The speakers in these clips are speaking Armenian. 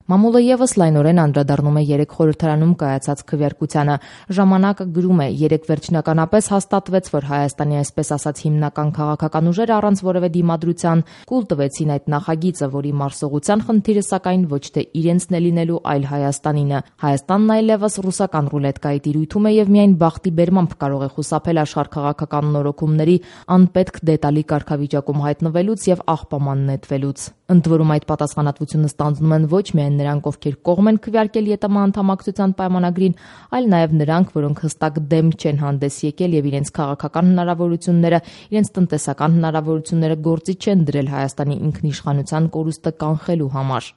Մամուլը ևս լայնորեն անդրադառնում է 3 խորհրդարանում կայացած քվեարկությանը։ Ժամանակը գրում է, 3 վերջնականապես հաստատվեց, որ Հայաստանի այսպես ասած հիմնական քաղաքական ուժերը առանց որևէ դիմադրության կուլ տվեցին այդ նախագիծը, որի մարսողության խնդիրը սակայն ոչ թե իրենցն է լինելու, այլ Հայաստանինը։ Հայաստանն այլևս ռուսական ռուլետկայի տիրույթում է եւ միայն բախտի բերմամբ կարող է խուսափել աշխարհ քաղաքական նորոգումների անպետք դետալի կարգավիճակում հայտնվելուց եւ աղբաման նետվելուց։ Ընդ որում այդ պատասխանատվությունը ստանձնում են ոչ միայն նրանք, ովքեր կողմ են քվեարկել ԵՏՄ անդամակցության պայմանագրին, այլ նաև նրանք, որոնք հստակ դեմ չեն հանդես եկել եւ իրենց քաղաքական հնարավորությունները, իրենց տնտեսական հնարավորությունները գործի չեն դրել Հայաստանի ինքնիշխանության կորուստը կանխելու համար։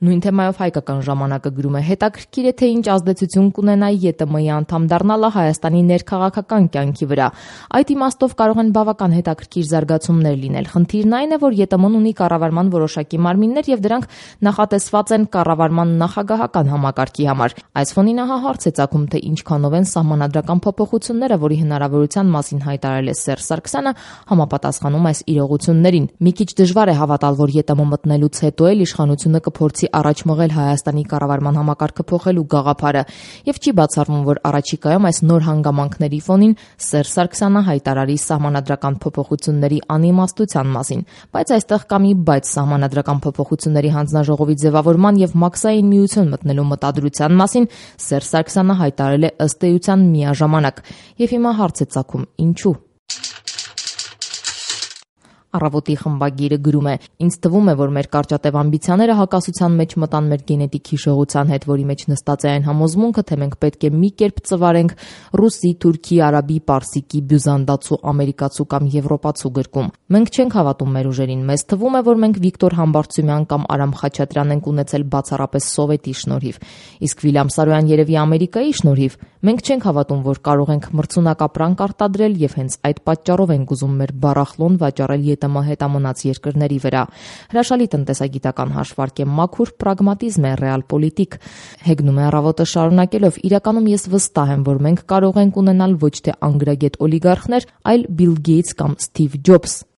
Նույն թեմայով հայկական ժամանակը գրում է. հետաքրքիր է, թե ինչ ազդեցություն կունենա ԵՏՄ-ի անդամ դառնալը Հայաստանի ներքաղաքական կյանքի վրա։ Այդ իմաստով կարող են բավական հետաքրքիր զարգացումներ լինել։ Խնդիրն այն է, որ ԵՏՄ-ն ունի կառավարման որոշակի մարմիններ եւ դրանք նախատեսված են կառավարման նախագահական համակարգի համար։ Այս ֆոնին ահա հարց է ծագում, թե ինչքանով են սահմանադրական փոփոխությունները, որի հնարավորության մասին հայտարարել է Սերժ Սարգսյանը, համապատասխանում այս իրողություններին։ Մի քիչ դժվար է հավատալ, որ ԵՏՄ մտնելուց հետո էլ իշխանությունը կփորձի առաջ մղել Հայաստանի կառավարման համակարգը փոխելու գաղափարը եւ չի բացառվում, որ առաջիկայում այս նոր հանգամանքների ֆոնին Սերժ Սարգսյանը հայտարարի սահմանադրական փոփոխությունների անիմաստության մասին, բայց այստեղ կա մի բայց սահմանադրական փոփոխությունների հանձնաժողովի ձևավորման եւ մաքսային միություն մտնելու մտադրության մասին Սերժ Սարգսյանը հայտարարել է ըստ էության միաժամանակ եւ հիմա հարց է ծագում՝ ինչու։ Առավոտի խմբագիրը գրում է. ինձ թվում է, որ մեր կարճատև ամբիցիաները հակասության մեջ մտան մեր գենետիկ հիշողության հետ, որի մեջ նստած է այն համոզմունքը, թե մենք պետք է մի կերպ ծվարենք ռուսի, թուրքի, արաբի, պարսիկի, բյուզանդացու, ամերիկացու կամ եվրոպացու գրկում։ Մենք չենք հավատում մեր ուժերին, մեզ թվում է, որ մենք Վիկտոր Համբարձումյան կամ Արամ Խաչատրյան ենք ունեցել բացառապես սովետի շնորհիվ, իսկ Վիլյամ Սարոյան երևի Ամերիկայի շնորհիվ։ Մենք չենք հավատում, որ կարող ենք մրցունակ ապրանք արտադրել եւ հենց այդ պատճառով ենք ուզում մեր բառախլոն վաճառել ԵՏՄ հետամնաց երկրների վրա։ Հրաշալի տնտեսագիտական հաշվարկ է, մաքուր պրագմատիզմ է, ռեալպոլիտիկ։ Հեգնում է Առավոտը շարունակելով. իրականում ես վստահ եմ, որ մենք կարող ենք ունենալ ոչ թե անգրագետ օլիգարխներ, այլ Բիլ Գեյթս կամ Սթիվ Ջոբս։